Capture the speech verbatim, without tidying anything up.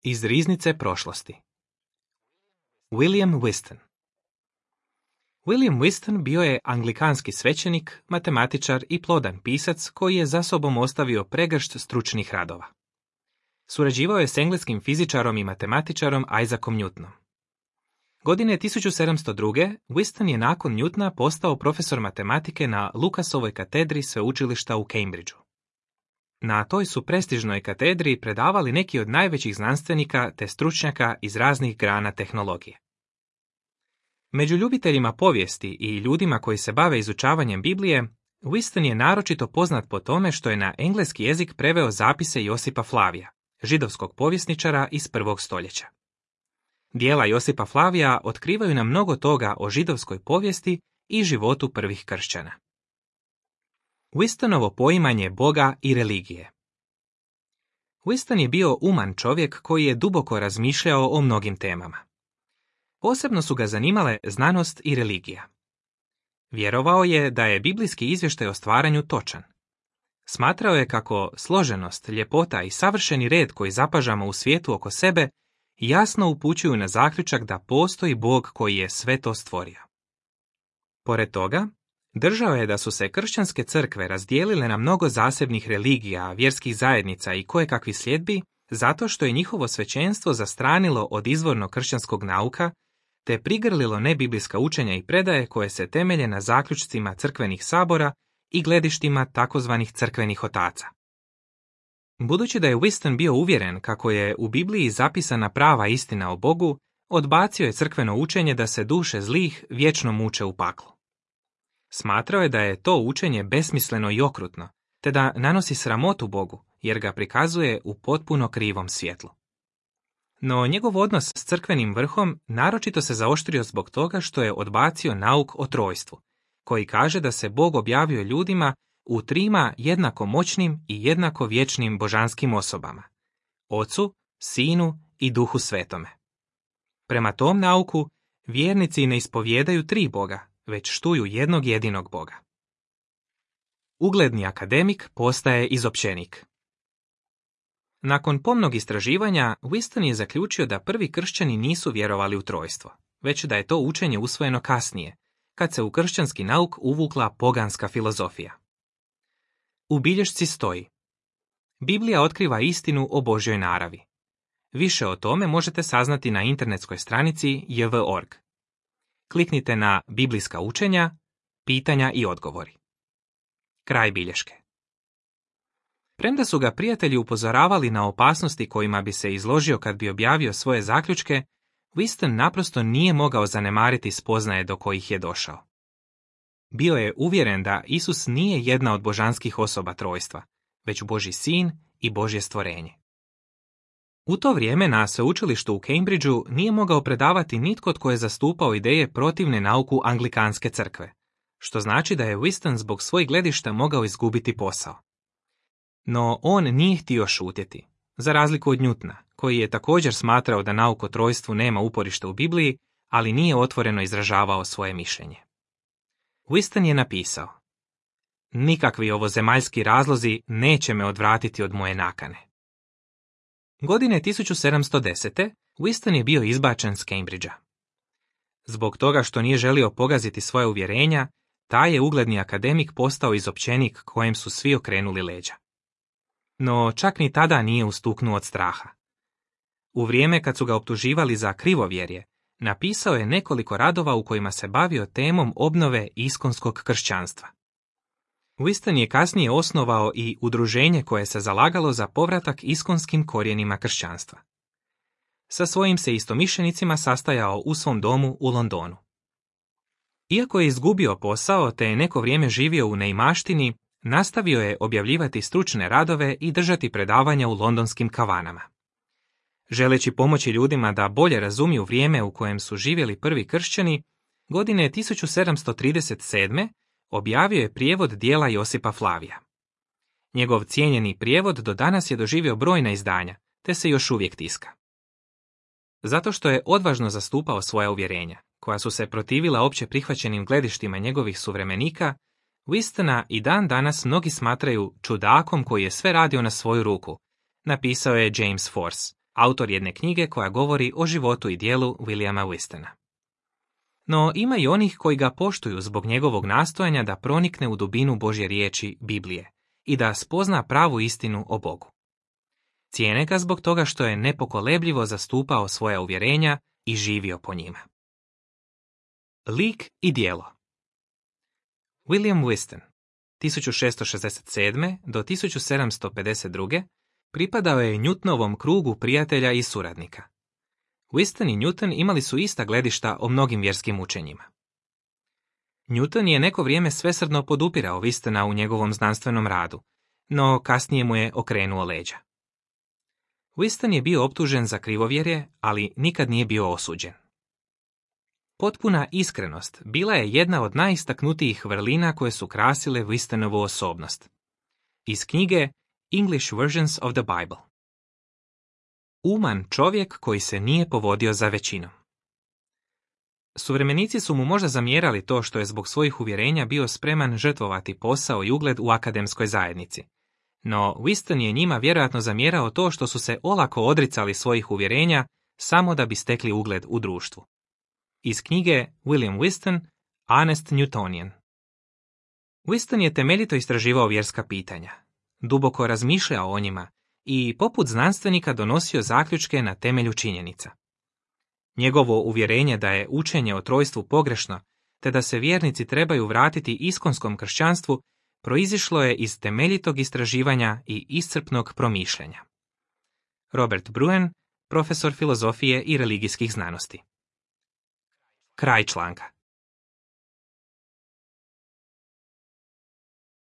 Iz riznice prošlosti. William Whiston. William Whiston bio je anglikanski svećenik, matematičar i plodan pisac koji je za sobom ostavio pregršt stručnih radova. Surađivao je s engleskim fizičarom i matematičarom Isaacom Newtonom. Godine tisuću sedamsto druge. Whiston je nakon Newtona postao profesor matematike na Lucasovoj katedri sveučilišta u Cambridgeu. Na toj su prestižnoj katedri predavali neki od najvećih znanstvenika te stručnjaka iz raznih grana tehnologije. Među ljubiteljima povijesti i ljudima koji se bave izučavanjem Biblije, Whiston je naročito poznat po tome što je na engleski jezik preveo zapise Josipa Flavija, židovskog povjesničara iz prvog stoljeća. Dijela Josipa Flavija otkrivaju nam mnogo toga o židovskoj povijesti i životu prvih kršćana. Whistonovo poimanje Boga i religije. Whiston je bio uman čovjek koji je duboko razmišljao o mnogim temama. Posebno su ga zanimale znanost i religija. Vjerovao je da je biblijski izvještaj o stvaranju točan. Smatrao je kako složenost, ljepota i savršeni red koji zapažamo u svijetu oko sebe jasno upućuju na zaključak da postoji Bog koji je sve to stvorio. Pored toga, držao je da su se kršćanske crkve razdijelile na mnogo zasebnih religija, vjerskih zajednica i kojekakvih sljedbi, zato što je njihovo svećenstvo zastranilo od izvornog kršćanskog nauka, te prigrlilo nebiblijska učenja i predaje koje se temelje na zaključcima crkvenih sabora i gledištima takozvanih crkvenih otaca. Budući da je Whiston bio uvjeren kako je u Bibliji zapisana prava istina o Bogu, odbacio je crkveno učenje da se duše zlih vječno muče u paklu. Smatrao je da je to učenje besmisleno i okrutno, te da nanosi sramotu Bogu, jer ga prikazuje u potpuno krivom svjetlu. No njegov odnos s crkvenim vrhom naročito se zaoštrio zbog toga što je odbacio nauk o trojstvu, koji kaže da se Bog objavio ljudima u trima jednako moćnim i jednako vječnim božanskim osobama, Ocu, Sinu i Duhu Svetome. Prema tom nauku, vjernici ne ispovijedaju tri Boga, već štuju jednog jedinog Boga. Ugledni akademik postaje izopćenik. Nakon pomnog istraživanja, Whiston je zaključio da prvi kršćani nisu vjerovali u trojstvo, već da je to učenje usvojeno kasnije, kad se u kršćanski nauk uvukla poganska filozofija. U bilješci stoji: Biblija otkriva istinu o Božjoj naravi. Više o tome možete saznati na internetskoj stranici j v dot org. Kliknite na Biblijska učenja, pitanja i odgovori. Kraj bilješke. Premda su ga prijatelji upozoravali na opasnosti kojima bi se izložio kad bi objavio svoje zaključke, Whiston naprosto nije mogao zanemariti spoznaje do kojih je došao. Bio je uvjeren da Isus nije jedna od božanskih osoba trojstva, već Božji sin i Božje stvorenje. U to vrijeme na sveučilištu u Cambridgeu nije mogao predavati nitko tko je zastupao ideje protivne nauku anglikanske crkve, što znači da je Whiston zbog svojih gledišta mogao izgubiti posao. No on nije htio šutjeti, za razliku od Newtona, koji je također smatrao da nauk o trojstvu nema uporište u Bibliji, ali nije otvoreno izražavao svoje mišljenje. Whiston je napisao: Nikakvi ovozemaljski razlozi neće me odvratiti od moje nakane. Godine tisuću sedamsto desete. Whiston je bio izbačen s Cambridgea. Zbog toga što nije želio pogaziti svoje uvjerenja, taj je ugledni akademik postao izopćenik kojem su svi okrenuli leđa. No čak ni tada nije ustuknuo od straha. U vrijeme kad su ga optuživali za krivovjerje, napisao je nekoliko radova u kojima se bavio temom obnove iskonskog kršćanstva. Whiston je kasnije osnovao i udruženje koje se zalagalo za povratak iskonskim korijenima kršćanstva. Sa svojim se istomišljenicima sastajao u svom domu u Londonu. Iako je izgubio posao te je neko vrijeme živio u neimaštini, nastavio je objavljivati stručne radove i držati predavanja u londonskim kavanama. Želeći pomoći ljudima da bolje razumiju vrijeme u kojem su živjeli prvi kršćani, godine tisuću sedamsto trideset sedme. objavio je prijevod dijela Josipa Flavija. Njegov cijenjeni prijevod do danas je doživio brojna izdanja, te se još uvijek tiska. Zato što je odvažno zastupao svoja uvjerenja, koja su se protivila opće prihvaćenim gledištima njegovih suvremenika, Whistona i dan danas mnogi smatraju čudakom koji je sve radio na svoju ruku, napisao je James Force, autor jedne knjige koja govori o životu i dijelu Williama Whistona. No ima i onih koji ga poštuju zbog njegovog nastojanja da pronikne u dubinu Božje riječi Biblije i da spozna pravu istinu o Bogu. Cijene ga zbog toga što je nepokolebljivo zastupao svoja uvjerenja i živio po njima. Lik i djelo. William Whiston, tisuću šessto šezdeset sedme. do tisuću sedamsto pedeset druge. pripadao je Newtonovom krugu prijatelja i suradnika. Whiston i Newton imali su ista gledišta o mnogim vjerskim učenjima. Newton je neko vrijeme svesrdno podupirao Whistona u njegovom znanstvenom radu, no kasnije mu je okrenuo leđa. Whiston je bio optužen za krivovjerje, ali nikad nije bio osuđen. Potpuna iskrenost bila je jedna od najistaknutijih vrlina koje su krasile Whistonovu osobnost. Iz knjige English Versions of the Bible. Uman čovjek koji se nije povodio za većinom. Suvremenici su mu možda zamjerali to što je zbog svojih uvjerenja bio spreman žrtvovati posao i ugled u akademskoj zajednici. No Whiston je njima vjerojatno zamjerao to što su se olako odricali svojih uvjerenja samo da bi stekli ugled u društvu. Iz knjige William Whiston, Honest Newtonian. Whiston je temeljito istraživao vjerska pitanja, duboko razmišljao o njima i poput znanstvenika donosio zaključke na temelju činjenica. Njegovo uvjerenje da je učenje o trojstvu pogrešno, te da se vjernici trebaju vratiti iskonskom kršćanstvu, proizišlo je iz temeljitog istraživanja i iscrpnog promišljanja. Robert Bruen, profesor filozofije i religijskih znanosti. Kraj članka.